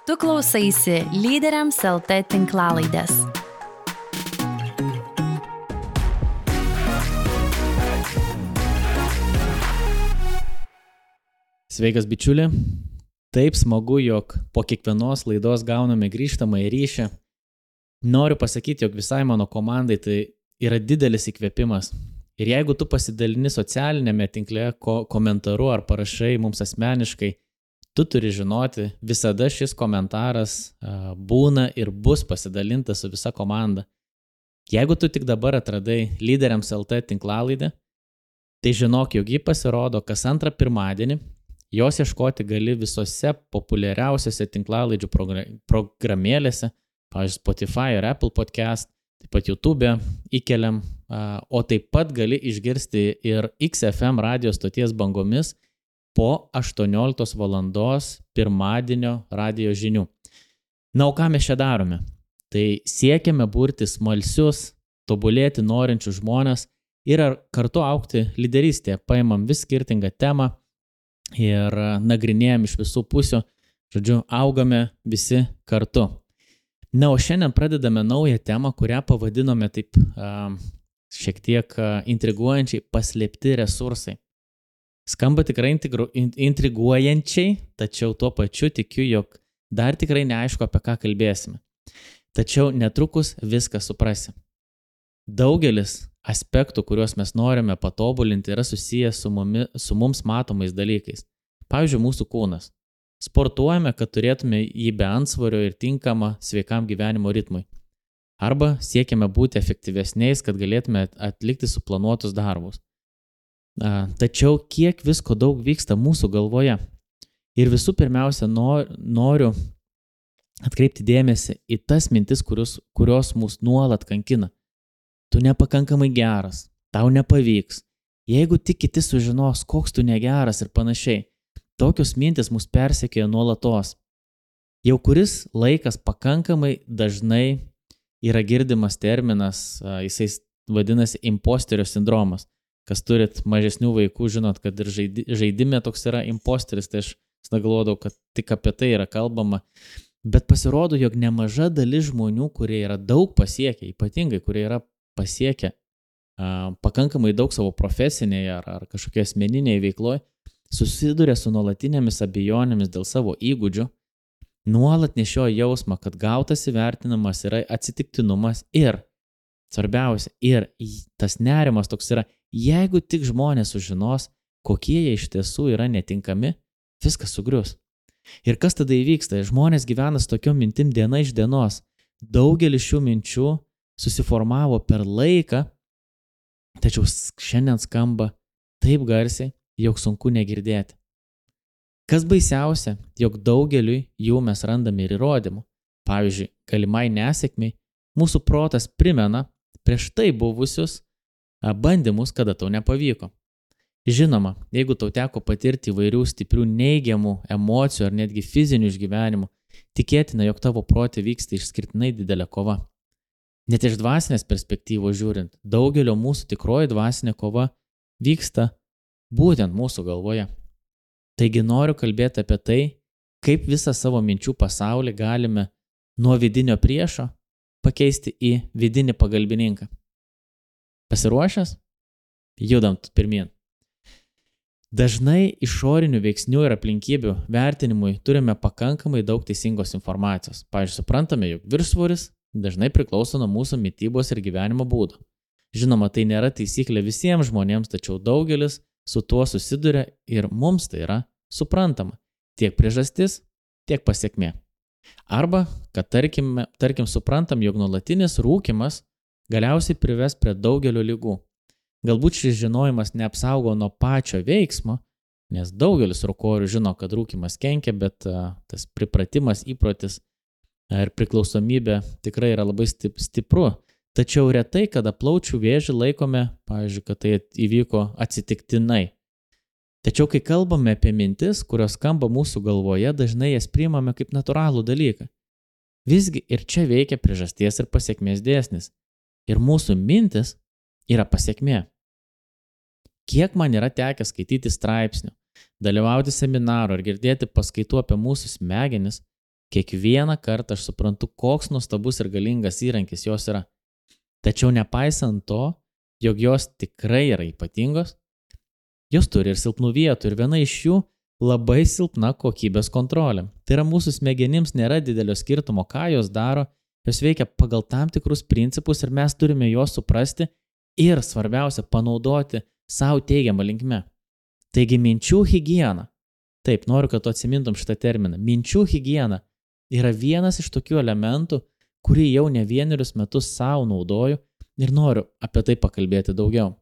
Tu klausaisi Lyderiams LT tinklalaidės. Sveikas bičiuli, taip smagu, jog po kiekvienos laidos gauname grįžtamąjį ryšį. Noriu pasakyti, jog visai mano komandai tai yra didelis įkvėpimas. Ir jeigu tu pasidalini socialinėme tinkle komentaru ar parašai mums asmeniškai, tu turi žinoti, visada šis komentaras būna ir bus pasidalintas su visa komanda. Jeigu tu tik dabar atradai Lyderiams LT tinklalaidę, tai žinok, jog ji pasirodo kas antrą pirmadienį. Jos ieškoti gali visose populiariausiose tinklalaidžių programėlėse, pavyzdžiui, Spotify ir Apple Podcast, taip pat YouTube įkeliam, o taip pat gali išgirsti ir XFM radio stoties bangomis po 18 valandos pirmadienio radio žinių. Na, o ką mes čia darome? Tai siekiame burti smalsius, tobulėti norinčius žmonės ir kartu augti lyderystėje. Paimam vis skirtingą temą ir nagrinėjam iš visų pusių, žodžiu, augame visi kartu. Na, o šiandien pradedame naują temą, kurią pavadinome taip šiek tiek intriguojančiai paslėpti resursai. Skamba tikrai intriguojančiai, tačiau tuo pačiu tikiu, jog dar tikrai neaišku, apie ką kalbėsime. Tačiau netrukus viską suprasi. Daugelis aspektų, kuriuos mes norime patobulinti, yra susijęs su mums matomais dalykais. Pavyzdžiui, mūsų kūnas. Sportuojame, kad turėtume jį be antsvorio ir tinkamą sveikam gyvenimo ritmui. Arba siekiame būti efektyvesniais, kad galėtume atlikti suplanuotus darbus. Tačiau kiek visko daug vyksta mūsų galvoje. Ir visų pirmiausia, noriu atkreipti dėmesį į tas mintis, kurios mus nuolat kankina. Tu nepakankamai geras, tau nepavyks. Jeigu tik kiti sužinos, koks tu negeras ir panašiai, tokios mintis mus persekioja nuolatos. Jau kuris laikas pakankamai dažnai yra girdimas terminas, jisai vadinasi imposterio sindromas. Kas turit mažesnių vaikų, žinot, kad ir žaidime toks yra imposteris, tai aš galvodavau, kad tik apie tai yra kalbama. Bet pasirodo, jog nemaža dalis žmonių, kurie yra daug pasiekę, ypatingai, kurie yra pasiekę pakankamai daug savo profesinėje ar kažkokie asmeninėje veikloje, susiduria su nuolatinėmis abejonėmis dėl savo įgūdžių, nuolat nešioja jausmą, kad gautas įvertinimas yra atsitiktinumas ir, svarbiausia, ir tas nerimas toks yra, jeigu tik žmonės sužinos, kokie jie iš tiesų yra netinkami, viskas sugrius. Ir kas tada įvyksta? Žmonės gyvena su tokiom mintim diena iš dienos. Daugelis šių minčių susiformavo per laiką, tačiau šiandien skamba taip garsiai, jog sunku negirdėti. Kas baisiausia, jog daugeliui jų mes randame ir įrodymų. Pavyzdžiui, galimai nesėkmiai, mūsų protas primena prieš tai buvusius bandymus, kada tau nepavyko. Žinoma, jeigu tau teko patirti įvairių stiprių neigiamų emocijų ar netgi fizinių išgyvenimų, tikėtina, jog tavo prote vyksta išskirtinai didelė kova. Net iš dvasinės perspektyvos žiūrint, daugelio mūsų tikroji dvasinė kova vyksta būtent mūsų galvoje. Taigi noriu kalbėti apie tai, kaip visą savo minčių pasaulį galime nuo vidinio priešo pakeisti į vidinį pagalbininką. Pasiruošęs? Judam pirmyn. Dažnai išorinių veiksnių ir aplinkybių vertinimui turime pakankamai daug teisingos informacijos. Pavyzdžiui, suprantame, jog viršsvoris dažnai priklauso nuo mūsų mitybos ir gyvenimo būdo. Žinoma, tai nėra taisyklė visiems žmonėms, tačiau daugelis su tuo susiduria ir mums tai yra suprantama. Tiek priežastis, tiek pasekmė. Arba, kad tarkim suprantam, jog nuolatinis rūkymas galiausiai prives prie daugelio ligų. Galbūt šis žinojimas neapsaugo nuo pačio veiksmo, nes daugelis rūkorių žino, kad rūkymas kenkia, bet tas pripratimas, įprotis ir priklausomybė tikrai yra labai stipru. Tačiau retai, kada plaučių vėžį laikome, pavyzdžiui, kad tai įvyko atsitiktinai. Tačiau kai kalbame apie mintis, kurios skamba mūsų galvoje, dažnai jas priimame kaip natūralų dalyką. Visgi ir čia veikia priežasties ir pasekmės dėsnis. Ir mūsų mintis yra pasekmė. Kiek man yra tekę skaityti straipsnių, dalyvauti seminarų ar girdėti paskaitų apie mūsų smegenis, Kiekvieną kartą aš suprantu, koks nuostabus ir galingas įrankis jos yra. Tačiau nepaisant to, jog jos tikrai yra ypatingos, jos turi ir silpnų vietų ir viena iš jų labai silpna kokybės kontrolė. Tai yra mūsų smegenims nėra didelio skirtumo, ką jos daro, jos veikia pagal tam tikrus principus ir mes turime juos suprasti ir svarbiausia panaudoti savo teigiamą linkme. Taigi minčių higiena. Taip, noriu, kad tu atsimintum šitą terminą. Minčių higiena yra vienas iš tokių elementų, kurį jau ne vienerius metus savo naudoju ir noriu apie tai pakalbėti daugiau.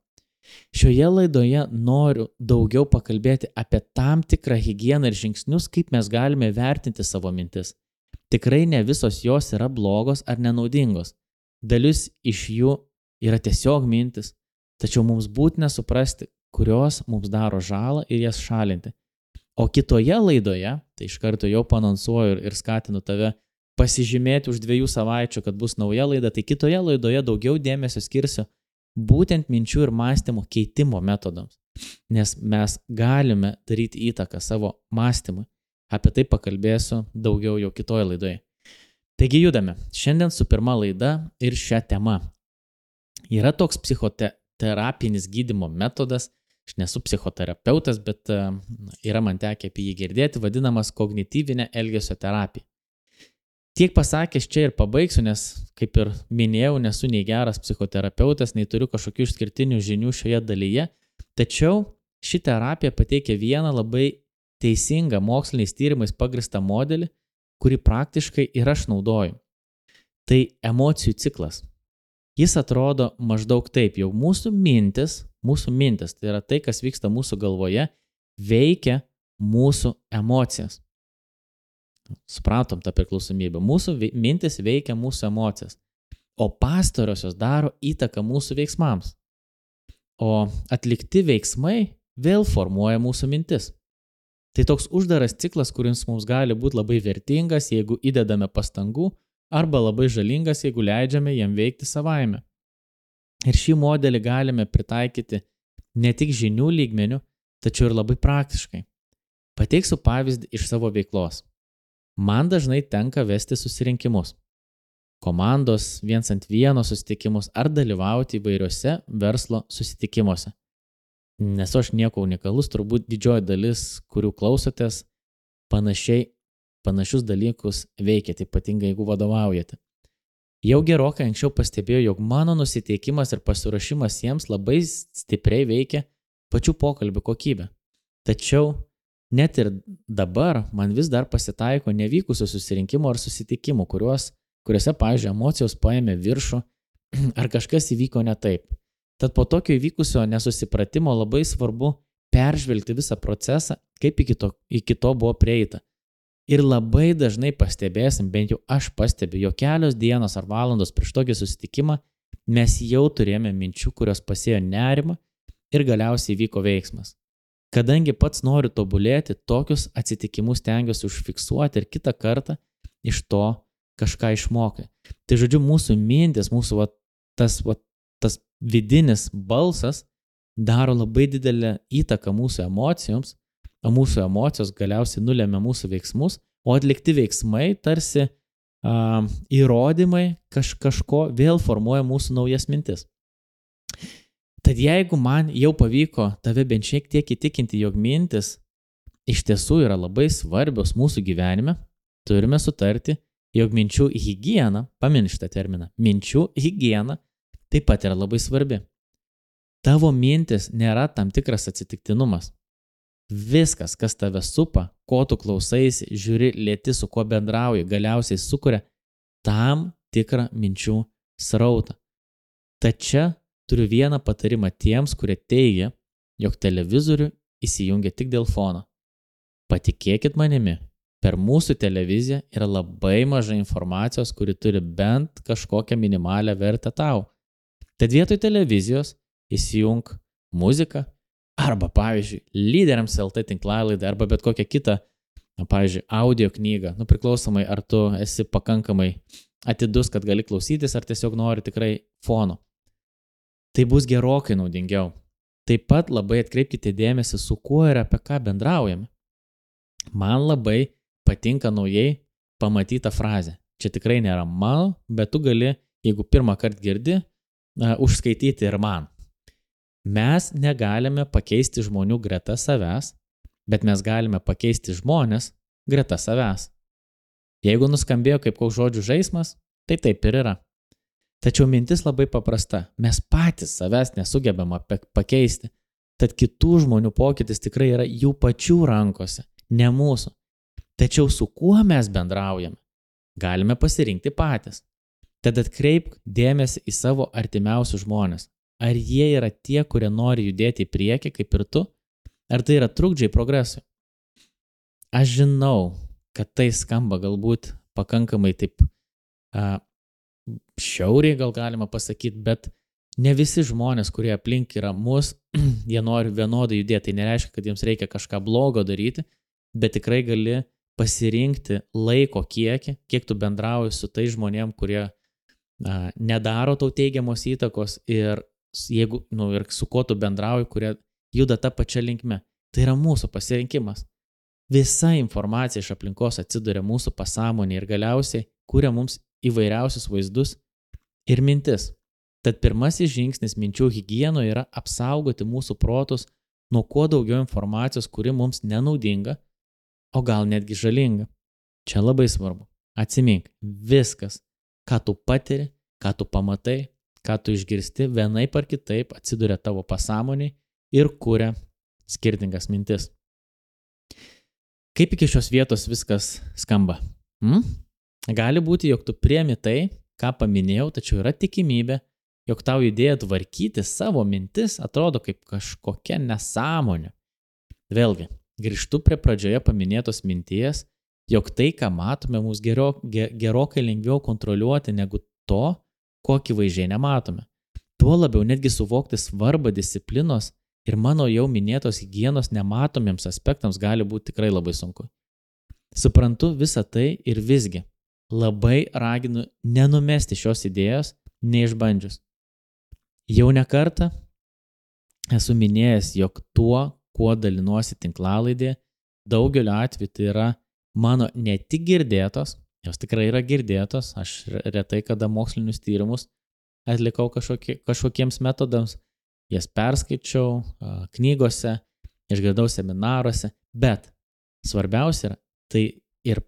Šioje laidoje noriu daugiau pakalbėti apie tam tikrą higieną ir žingsnius, kaip mes galime vertinti savo mintis. Tikrai ne visos jos yra blogos ar nenaudingos. Dalis iš jų yra tiesiog mintis, tačiau mums būtina suprasti, kurios mums daro žalą ir jas šalinti. O kitoje laidoje, tai iš karto jau paanonsuoju ir skatinu tave pasižymėti už 2 savaičių, kad bus nauja laida, tai kitoje laidoje daugiau dėmesio skirsiu būtent minčių ir mąstymo keitimo metodams, nes mes galime daryti įtaką savo mąstymui. Apie tai pakalbėsiu daugiau jau kitoje laidoje. Taigi judame. Šiandien su pirma laida ir šią temą. Yra toks psichoterapinis gydymo metodas, aš nesu psichoterapeutas, bet yra man tekę apie jį girdėti, vadinamas kognityvinė elgesio terapija. Tiek pasakęs čia ir pabaigsiu, nes, kaip ir minėjau, nesu nei geras psichoterapeutas, nei turiu kažkokių išskirtinių žinių šioje dalyje, tačiau ši terapija pateikia vieną labai teisingą moksliniais tyrimais pagristą modelį, kurį praktiškai ir aš naudoju. Tai emocijų ciklas. Jis atrodo maždaug taip, jau mūsų mintis, tai yra tai, kas vyksta mūsų galvoje, veikia mūsų emocijas. Supratom tą priklausomybę. Mūsų mintis veikia mūsų emocijas, o pastarosios daro įtaką mūsų veiksmams. O atlikti veiksmai vėl formuoja mūsų mintis. Tai toks uždaras ciklas, kuris mums gali būti labai vertingas, jeigu įdedame pastangų, arba labai žalingas, jeigu leidžiame jam veikti savaime. Ir šį modelį galime pritaikyti ne tik žinių lygmenių, tačiau ir labai praktiškai. Pateiksiu pavyzdį iš savo veiklos. Man dažnai tenka vesti susirinkimus, komandos 1-ant-1 susitikimus ar dalyvauti įvairiuose verslo susitikimuose. Nesu aš nieko unikalus, turbūt didžioji dalis, kurių klausotės, panašius dalykus veikiate, ypatingai jeigu vadovaujate. Jau gerokai anksčiau pastebėjau, jog mano nusiteikimas ir pasiruošimas jiems labai stipriai veikia pačių pokalbių kokybę. Tačiau net ir dabar man vis dar pasitaiko nevykusių susirinkimų ar susitikimų, kuriuose, pavyzdžiui, emocijos paėmė viršų ar kažkas įvyko ne taip. Tad po tokio įvykusio nesusipratimo labai svarbu peržvelgti visą procesą, kaip iki to buvo prieita. Ir labai dažnai pastebėsim, bent jau aš pastebiu, jo kelios dienos ar valandos prieš tokį susitikimą mes jau turėjome minčių, kurios pasėjo nerimą ir galiausiai vyko veiksmas. Kadangi pats noriu tobulėti, tokius atsitikimus stengiuosi užfiksuoti ir kitą kartą iš to kažką išmokai. Tai žodžiu, mūsų mintis, tas vidinis balsas daro labai didelę įtaką mūsų emocijoms, o mūsų emocijos galiausiai nulemia mūsų veiksmus, o atlikti veiksmai tarsi įrodymai kažko vėl formuoja mūsų naujas mintis. Tad jeigu man jau pavyko tave bent šiek tiek įtikinti, jog mintis iš tiesų yra labai svarbios mūsų gyvenime, turime sutarti, jog minčių higiena, pamini šitą terminą, minčių higiena taip pat yra labai svarbi. Tavo mintis nėra tam tikras atsitiktinumas. Viskas, kas tave supa, ko tu klausaisi, žiūri, lieti, su kuo bendrauji, galiausiai sukuria tam tikrą minčių srautą. Tačiau turiu vieną patarimą tiems, kurie teigia, jog televizorių įsijungia tik dėl fono. Patikėkit manimi, per mūsų televiziją yra labai mažai informacijos, kuri turi bent kažkokią minimalią vertę tau. Tad vietoj televizijos įsijung muziką arba, pavyzdžiui, Lyderiams LT tinklalaidą arba bet kokią kitą, pavyzdžiui, audio knygą, priklausomai ar tu esi pakankamai atidus, kad gali klausytis, ar tiesiog nori tikrai fono. Tai bus gerokai naudingiau. Taip pat labai atkreipkite dėmesį, su kuo ir apie ką bendraujame. Man labai patinka naujai pamatyta frazė. Čia tikrai nėra mano, bet tu gali, jeigu pirmą kartą girdi, užskaityti ir man. Mes negalime pakeisti žmonių greta savęs, bet mes galime pakeisti žmonės greta savęs. Jeigu nuskambėjo kaip koks žodžių žaismas, tai taip ir yra. Tačiau mintis labai paprasta. Mes patys savęs nesugebame pakeisti. Tad kitų žmonių pokytis tikrai yra jų pačių rankose, ne mūsų. Tačiau su kuo mes bendraujame, galime pasirinkti patys. Tad atkreipk dėmesį į savo artimiausius žmonės. Ar jie yra tie, kurie nori judėti į priekį, kaip ir tu? Ar tai yra trukdžiai progresui? Aš žinau, kad tai skamba galbūt pakankamai taip šiauriai, gal galima pasakyti, bet ne visi žmonės, kurie aplink yra mus, jie nori vienodai judėti. Tai nereiškia, kad jiems reikia kažką blogo daryti, bet tikrai gali pasirinkti laiko kiekį, kiek tu bendrauji su tai žmonėm, kurie nedaro tau teigiamos įtakos ir jeigu, ir su kuo tu bendrauji, kurie juda tą pačią linkme. Tai yra mūsų pasirinkimas. Visa informacija iš aplinkos atsiduria mūsų pasąmonėje ir galiausiai kuria mums įvairiausius vaizdus ir mintis. Tad pirmasis žingsnis minčių higienoje yra apsaugoti mūsų protus nuo kuo daugiau informacijos, kuri mums nenaudinga, o gal netgi žalinga. Čia labai svarbu. Atsimink, viskas, ką tu patiri, ką tu pamatai, ką tu išgirsti, vienaip ar kitaip atsiduria tavo pasąmonėje ir kuria skirtingas mintis. Kaip iki šios vietos viskas skamba? Gali būti, jog tu priemi tai, ką paminėjau, tačiau yra tikimybė, jog tau idėja tvarkyti savo mintis atrodo kaip kažkokia nesąmonė. Vėlgi, grįžtu prie pradžioje paminėtos minties, jog tai, ką matome, mums gerokai lengviau kontroliuoti negu to, ko akivaizdžiai nematome. Tuo labiau netgi suvokti svarbą disciplinos ir mano jau minėtos higienos nematomiems aspektams gali būti tikrai labai sunku. Suprantu visą tai ir visgi labai raginu nenumesti šios idėjos, neišbandžius. Jau ne kartą esu minėjęs, jog tuo, kuo dalinuosi tinklalaidėje, daugeliu atveju tai yra mano ne tik girdėtos, jos tikrai yra girdėtos, aš retai kada mokslinius tyrimus atlikau kažkokiems metodams, jas perskaičiau knygose, išgirdau seminaruose, bet svarbiausia yra tai ir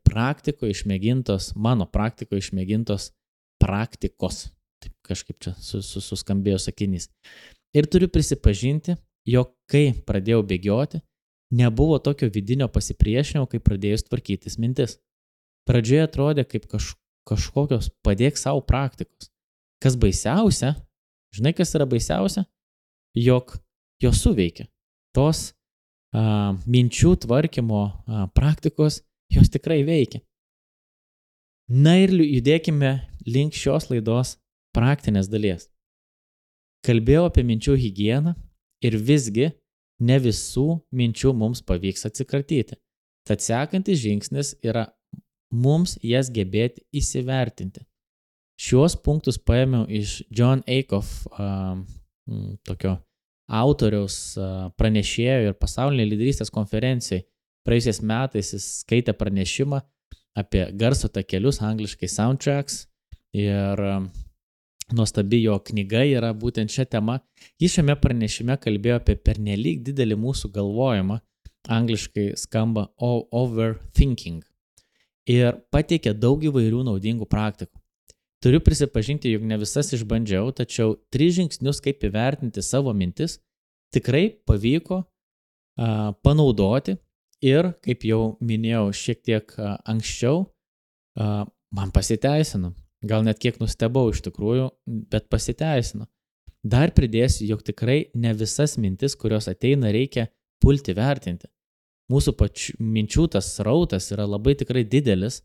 mano praktikoje išmėgintos praktikos. Taip kažkaip čia suskambėjo sakinys. Ir turiu prisipažinti, jog kai pradėjau bėgioti, nebuvo tokio vidinio pasipriešinimo, kai pradėjus tvarkytis mintis. Pradžioje atrodė kaip kažkokios padėk savo praktikos. Kas baisiausia, žinai kas yra baisiausia? Jog jos suveikia. Tos minčių tvarkymo praktikos, jos tikrai veikia. Na ir judėkime link šios laidos praktinės dalies. Kalbėjau apie minčių higieną ir visgi ne visų minčių mums pavyks atsikratyti. Tad sekantis žingsnis yra mums jas gebėti įsivertinti. Šiuos punktus paėmiau iš Jon Acuff, tokio autoriaus pranešėjo ir pasaulinė lyderystės konferencijai. Praėjusiais metais jis skaitė pranešimą apie garso takelius, angliškai soundtracks, ir nuostabi jo knyga yra būtent šią temą. Jis šiame pranešime kalbėjo apie pernelyg didelį mūsų galvojimą, angliškai skamba overthinking, ir pateikė daug įvairių naudingų praktikų. Turiu prisipažinti, jog ne visas išbandžiau, tačiau 3 žingsnius, kaip įvertinti savo mintis, tikrai pavyko panaudoti ir, kaip jau minėjau šiek tiek anksčiau, man pasiteisino. Gal net kiek nustebau iš tikrųjų, bet pasiteisino. Dar pridėsiu, jog tikrai ne visas mintis, kurios ateina, reikia pulti vertinti. Mūsų minčių tas srautas yra labai tikrai didelis,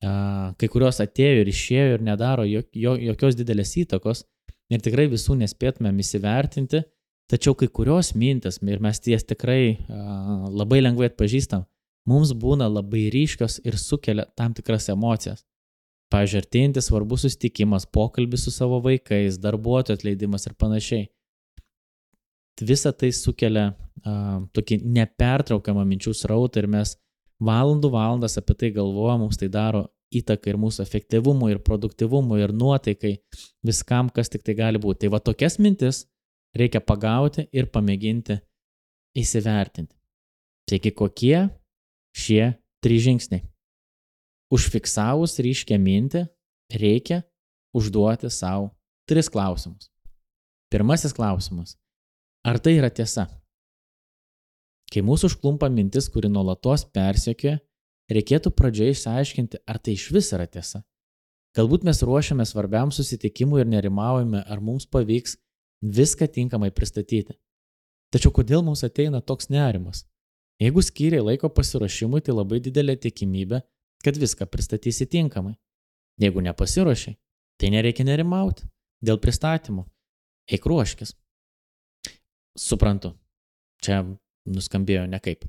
kai kurios atėjo ir išėjo ir nedaro jokios didelės įtakos ir tikrai visų nespėtumėm įsivertinti, tačiau kai kurios mintis, ir mes ties tikrai labai lengvai atpažįstam, mums būna labai ryškios ir sukelia tam tikras emocijas. Pavyzdžiui, artėjantis svarbus susitikimas, pokalbis su savo vaikais, darbuotojų atleidimas ir panašiai. Visa tai sukelia tokį nepertraukiamą minčių srautą ir mes valandas apie tai galvoja, mums tai daro įtaką ir mūsų efektyvumui, ir produktyvumui, ir nuotaikai, viskam, kas tik tai gali būti. Tai va tokias mintis reikia pagauti ir pamėginti įsivertinti. Taigi kokie šie 3 žingsniai? Užfiksavus ryškią mintį, reikia užduoti savo 3 klausimus. Pirmasis klausimas. Ar tai yra tiesa? Kai mūsų užklumpa mintis, kuri nuolatos persekioja, reikėtų pradžioje išsiaiškinti, ar tai iš vis yra tiesa. Galbūt mes ruošiame svarbiam susitikimui ir nerimaujame, ar mums pavyks viską tinkamai pristatyti. Tačiau kodėl mums ateina toks nerimas? Jeigu skyrei laiko pasiruošimui, tai labai didelė tikimybė, kad viską pristatysi tinkamai. Jeigu nepasiruošiai, tai nereikia nerimauti dėl pristatymų. Eik ruoškis. Suprantu, čia nuskambėjo nekaip.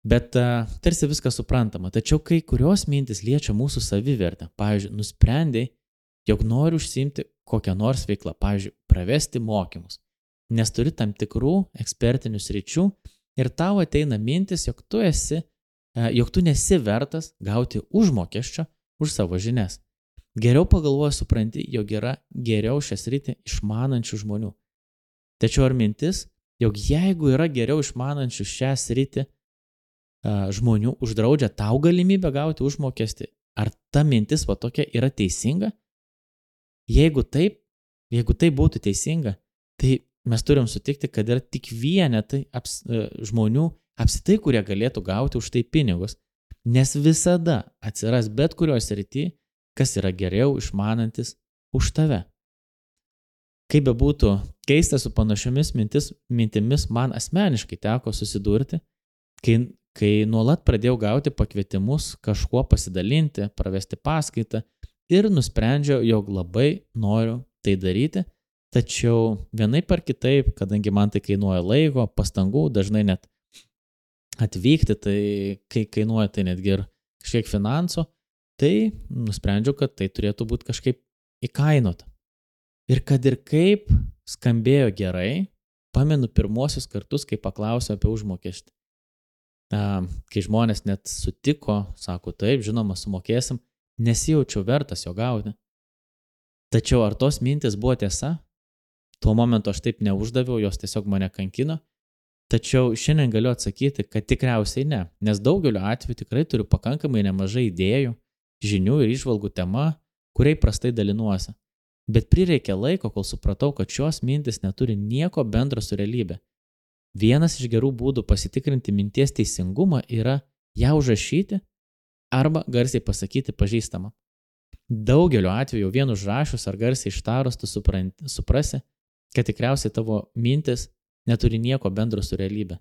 Bet tarsi viskas suprantama. Tačiau kai kurios mintis liečia mūsų savivertę. Pavyzdžiui, nusprendei, jog nori užsiimti kokią nors veiklą. Pavyzdžiui, pravesti mokymus. Nes turi tam tikrų ekspertinių sričių ir tau ateina mintis, jog tu nesi vertas gauti užmokesčio už savo žinias. Geriau pagalvoji, supranti, jog yra geriau šią sritį išmanančių žmonių. Tačiau ar mintis, jog jeigu yra geriau išmanančių šią sritį žmonių uždraudžia tau galimybę gauti užmokestį, ar ta mintis va tokia yra teisinga? Jeigu tai būtų teisinga, tai mes turim sutikti, kad yra tik vienetai žmonių apsitai, kurie galėtų gauti už tai pinigus, nes visada atsiras bet kurios srity, kas yra geriau išmanantis už tave. Kaip bebūtų keista, su panašiomis mintimis man asmeniškai teko susidurti, kai nuolat pradėjau gauti pakvietimus kažkuo pasidalinti, pravesti paskaitą ir nusprendžiau, jog labai noriu tai daryti, tačiau vienaip ar kitaip, kadangi man tai kainuoja laiko, pastangų, dažnai net atvykti, tai kai kainuoja tai netgi ir kažkiek finansų, tai nusprendžiau, kad tai turėtų būti kažkaip įkainota. Ir kad ir kaip skambėjo gerai, pamenu pirmosius kartus, kai paklausiau apie užmokestį. Kai žmonės net sutiko, sako taip, žinoma, sumokėsim, nesijaučiau vertas jo gauti. Tačiau ar tos mintis buvo tiesa? Tuo momentu aš taip neuždaviau, jos tiesiog mane kankino. Tačiau šiandien galiu atsakyti, kad tikriausiai ne, nes daugeliu atveju tikrai turiu pakankamai nemažai idėjų, žinių ir įžvalgų tema, kuriai prastai dalinuosi. Bet prireikė laiko, kol supratau, kad šios mintis neturi nieko bendro su realybė. Vienas iš gerų būdų pasitikrinti minties teisingumą yra ją užrašyti arba garsiai pasakyti pažįstamą. Daugeliu atveju vien užrašius ar garsiai ištarus tu suprasi, kad tikriausiai tavo mintis neturi nieko bendro su realybė.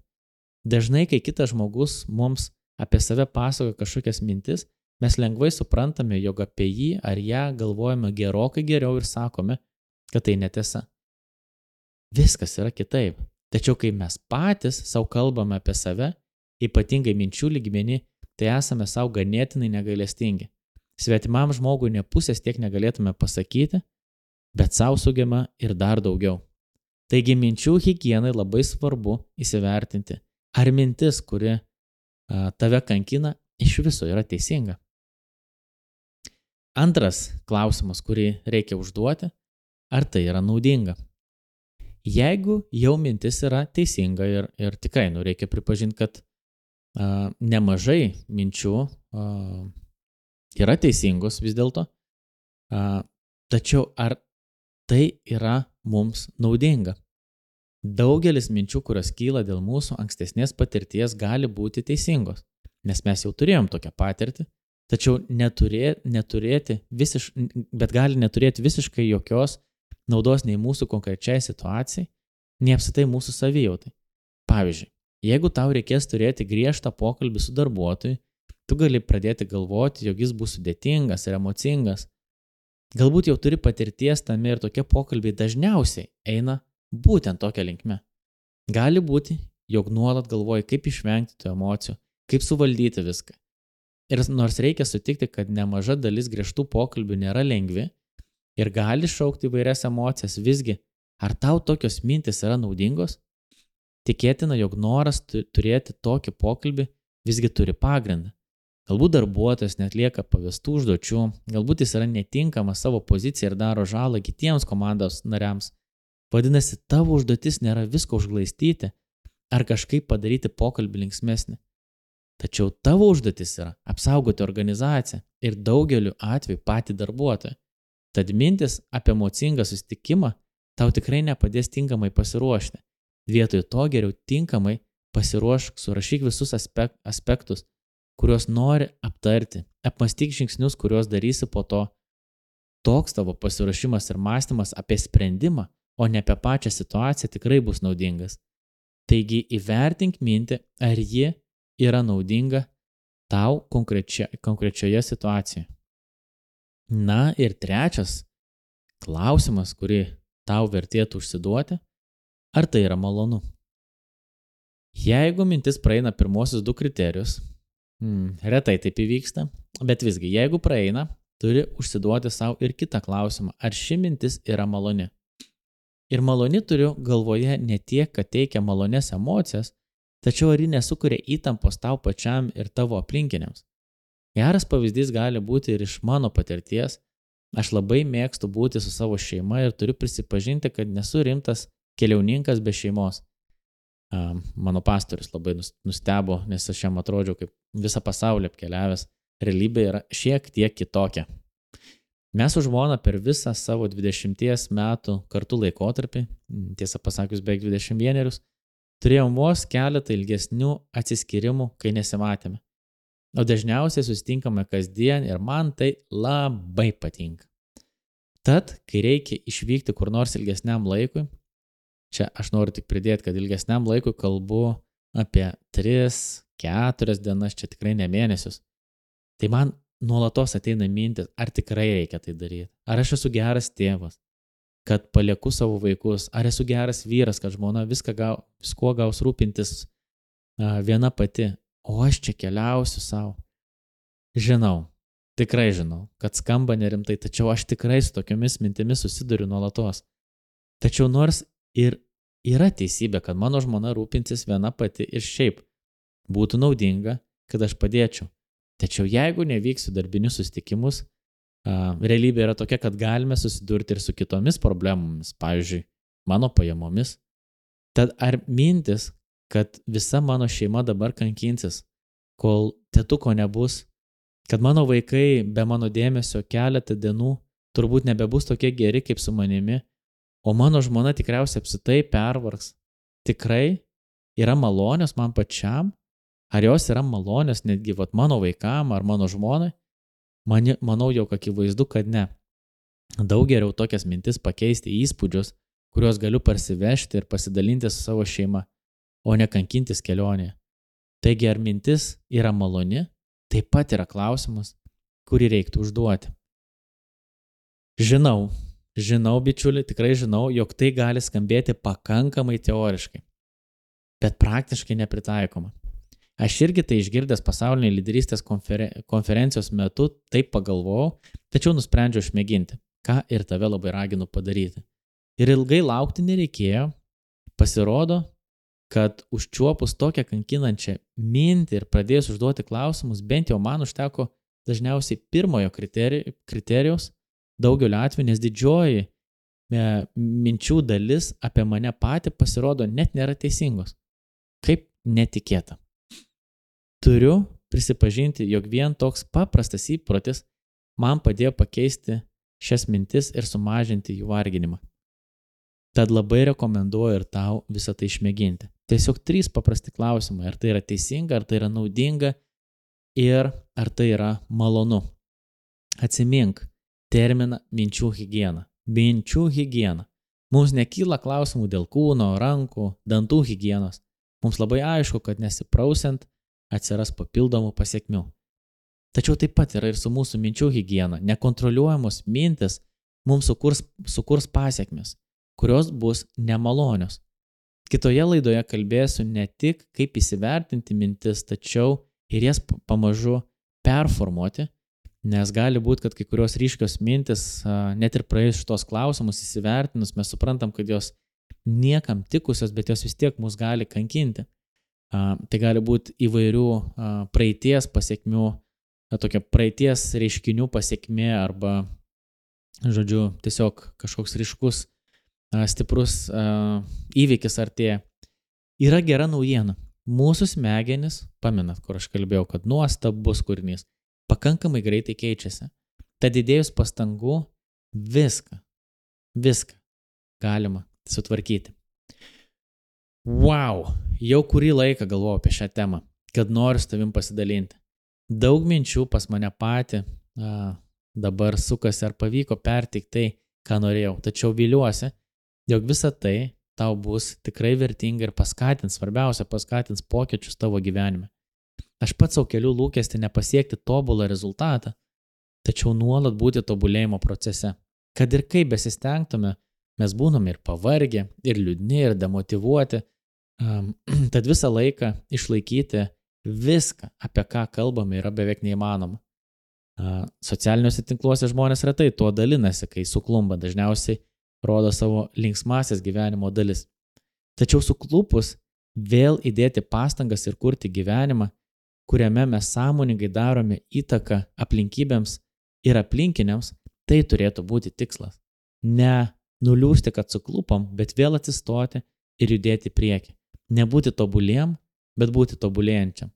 Dažnai, kai kitas žmogus mums apie save pasakoja kažkokias mintis, mes lengvai suprantame, jog apie jį ar ją galvojame gerokai geriau ir sakome, kad tai netiesa. Viskas yra kitaip. Tačiau kai mes patys savo kalbame apie save, ypatingai minčių lygmenį, tai esame savo ganėtinai negailestingi. Svetimam žmogui ne pusės tiek negalėtume pasakyti, bet savo sugema ir dar daugiau. Taigi minčių higienai labai svarbu įsivertinti, ar mintis, kuri tave kankina, iš viso yra teisinga. Antras klausimas, kurį reikia užduoti, ar tai yra naudinga. Jeigu jau mintis yra teisinga ir tikrai reikia pripažinti, kad nemažai minčių yra teisingos vis dėlto, tačiau ar tai yra mums naudinga? Daugelis minčių, kurios kyla dėl mūsų ankstesnės patirties, gali būti teisingos, nes mes jau turėjom tokią patirtį, tačiau bet gali neturėti visiškai jokios naudos nei mūsų konkrečiai situacijai, nei apskritai mūsų savijautai. Pavyzdžiui, jeigu tau reikės turėti griežtą pokalbį su darbuotoju, tu gali pradėti galvoti, jog jis bus sudėtingas ir emocingas. Galbūt jau turi patirties tame ir tokie pokalbiai dažniausiai eina būtent tokia linkme. Gali būti, jog nuolat galvoji, kaip išvengti tų emocijų, kaip suvaldyti viską. Ir nors reikia sutikti, kad nemaža dalis griežtų pokalbių nėra lengvi ir gali šaukti įvairias emocijas, visgi, ar tau tokios mintis yra naudingos? Tikėtina, jog noras turėti tokį pokalbį visgi turi pagrindą. Galbūt darbuotojas netlieka pavestų užduočių, galbūt jis yra netinkamas savo poziciją ir daro žalą kitiems komandos nariams. Vadinasi, tavo užduotis nėra visko užglaistyti ar kažkaip padaryti pokalbį linksmesnį. Tačiau tavo užduotis yra apsaugoti organizaciją ir daugeliu atveju patį darbuotoją. Tad mintis apie emocingą susitikimą tau tikrai nepadės tinkamai pasiruošti. Vietoj to geriau tinkamai pasiruošk, surašyk visus aspektus, kuriuos nori aptarti, apmąstyk žingsnius, kuriuos darysi po to. Toks tavo pasiruošimas ir mąstymas apie sprendimą, o ne apie pačią situaciją tikrai bus naudingas. Taigi įvertink mintį, ar ji yra naudinga tau konkrečioje situacijoje. Na ir trečias klausimas, kurį tau vertėtų užsiduoti, ar tai yra malonu. Jeigu mintis praeina pirmosius 2 kriterijus, retai taip įvyksta, bet visgi, jeigu praeina, turi užsiduoti savo ir kitą klausimą, ar ši mintis yra maloni. Ir maloni turiu galvoje ne tiek, kad teikia malonės emocijas, tačiau ar ji nesukuria įtampos tau pačiam ir tavo aplinkiniams. Geras pavyzdys gali būti ir iš mano patirties. Aš labai mėgstu būti su savo šeima ir turiu prisipažinti, kad nesu rimtas keliauninkas be šeimos. Mano pastorius labai nustebo, nes aš jam atrodžiau kaip visą pasaulį apkeliavęs. Realybė yra šiek tiek kitokia. Mes su žmona per visą savo 20 metų kartu laikotarpį, tiesą pasakius beveik 21, turėjom vos keletą ilgesnių atsiskyrimų, kai nesimatėme. O dažniausiai susitinkame kasdien ir man tai labai patinka. Tad, kai reikia išvykti kur nors ilgesniam laikui, čia aš noriu tik pridėti, kad ilgesniam laikui kalbu apie 3-4 dienas, čia tikrai ne mėnesius. Tai man nuolatos ateina mintis, ar tikrai reikia tai daryti, ar aš esu geras tėvas, kad palieku savo vaikus, ar esu geras vyras, kad žmona viskuo gaus rūpintis viena pati, o aš čia keliausiu savo. Žinau, tikrai žinau, kad skamba nerimtai, tačiau aš tikrai su tokiomis mintimis susiduriu nuolatos. Tačiau nors ir yra teisybė, kad mano žmona rūpinsis viena pati ir šiaip būtų naudinga, kad aš padėčiau. Tačiau jeigu nevyksiu darbinius susitikimus, realybė yra tokia, kad galime susidurti ir su kitomis problemomis, pavyzdžiui, mano pajamomis. Tad ar mintis, kad visa mano šeima dabar kankinsis, kol tėtuko nebus, kad mano vaikai be mano dėmesio keletą dienų turbūt nebebus tokie geri kaip su manimi, o mano žmona tikriausiai apsitai pervargs, tikrai yra malonios man pačiam, ar jos yra malonios netgi mano vaikam ar mano žmonai? Manau, jog akivaizdu, kad ne. Daug geriau tokias mintis pakeisti į įspūdžius, kuriuos galiu parsivežti ir pasidalinti su savo šeima, o ne kankintis kelionėje. Taigi, ar mintis yra maloni, taip pat yra klausimas, kurį reiktų užduoti. Žinau, bičiuli, tikrai žinau, jog tai gali skambėti pakankamai teoriškai, bet praktiškai nepritaikoma. Aš irgi tai išgirdęs pasaulinės lyderystės konferencijos metu taip pagalvojau, tačiau nusprendžiau išmėginti, ką ir tave labai raginu padaryti. Ir ilgai laukti nereikėjo, pasirodo, kad užčiuopus tokią kankinančią mintį ir pradėjus užduoti klausimus, bent jau man užteko dažniausiai pirmojo kriterijaus daugeliu atveju, nes didžioji minčių dalis apie mane patį pasirodo net nėra teisingos. Kaip netikėta. Turiu prisipažinti, jog vien toks paprastas įprotis man padėjo pakeisti šias mintis ir sumažinti jų varginimą. Tad labai rekomenduoju ir tau visą tai išmėginti. Tiesiog 3 paprasti klausimai, ar tai yra teisinga, ar tai yra naudinga ir ar tai yra malonu. Atsimink terminą minčių higiena. Minčių higiena. Mums nekyla klausimų dėl kūno, rankų, dantų higienos. Mums labai aišku, kad nesiprausiant atsiras papildomų pasekmių. Tačiau taip pat yra ir su mūsų minčių higiena. Nekontroliuojamos mintis mums sukurs pasekmes, kurios bus nemalonios. Kitoje laidoje kalbėsiu ne tik, kaip įsivertinti mintis, tačiau ir jas pamažu performuoti, nes gali būti, kad kai kurios ryškios mintis, net ir praėjus šitos klausimus įsivertinus, mes suprantam, kad jos niekam tikusios, bet jos vis tiek mus gali kankinti. Tai gali būti įvairių praeities pasekmių, tokia praeities reiškinių pasiekmė arba, žodžiu, tiesiog kažkoks ryškus, stiprus įvykis artėja. Yra gera naujiena. Mūsų smegenis, pamenat, kur aš kalbėjau, kad nuostabus kūrinys, pakankamai greitai keičiasi. Tad įdėjus pastangų viską galima sutvarkyti. Wow, jau kurį laiką galvoju apie šią temą, kad noriu su tavim pasidalinti. Daug minčių pas mane patį dabar sukasi, ar pavyko perteikti tai, ką norėjau. Tačiau viliuosi, jog visa tai tau bus tikrai vertinga ir svarbiausia, paskatins pokyčius tavo gyvenime. Aš pats savo keliu lūkestį nepasiekti tobulą rezultatą, tačiau nuolat būti tobulėjimo procese. Kad ir kaip besistengtume, mes būname ir pavargę, ir liūdni, ir demotyvuoti, tad visą laiką išlaikyti viską, apie ką kalbame, yra beveik neįmanoma. Socialiniuose tinkluose žmonės retai tuo dalinasi, kai suklumba, dažniausiai rodo savo linksmasias gyvenimo dalis. Tačiau suklupus vėl įdėti pastangas ir kurti gyvenimą, kuriame mes sąmoningai darome įtaką aplinkybėms ir aplinkiniams, tai turėtų būti tikslas. Ne nuliūsti, kad suklupom, bet vėl atsistoti ir judėti prieki. Nebūti tobuliem, bet būti tobulėjančiam.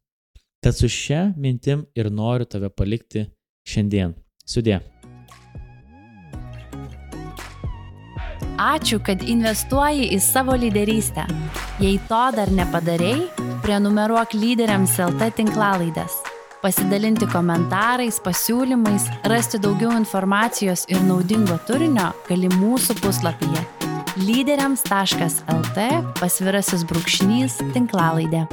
Tad su šia mintim ir noriu tave palikti šiandien. Sudie. Ačiū, kad investuoji į savo lyderystę. Jei to dar nepadarei, prenumeruok Lyderiams LT tinklalaidės. Pasidalinti komentarais, pasiūlymais, rasti daugiau informacijos ir naudingo turinio gali mūsų puslapyje lyderiams.lt / tinklalaidė.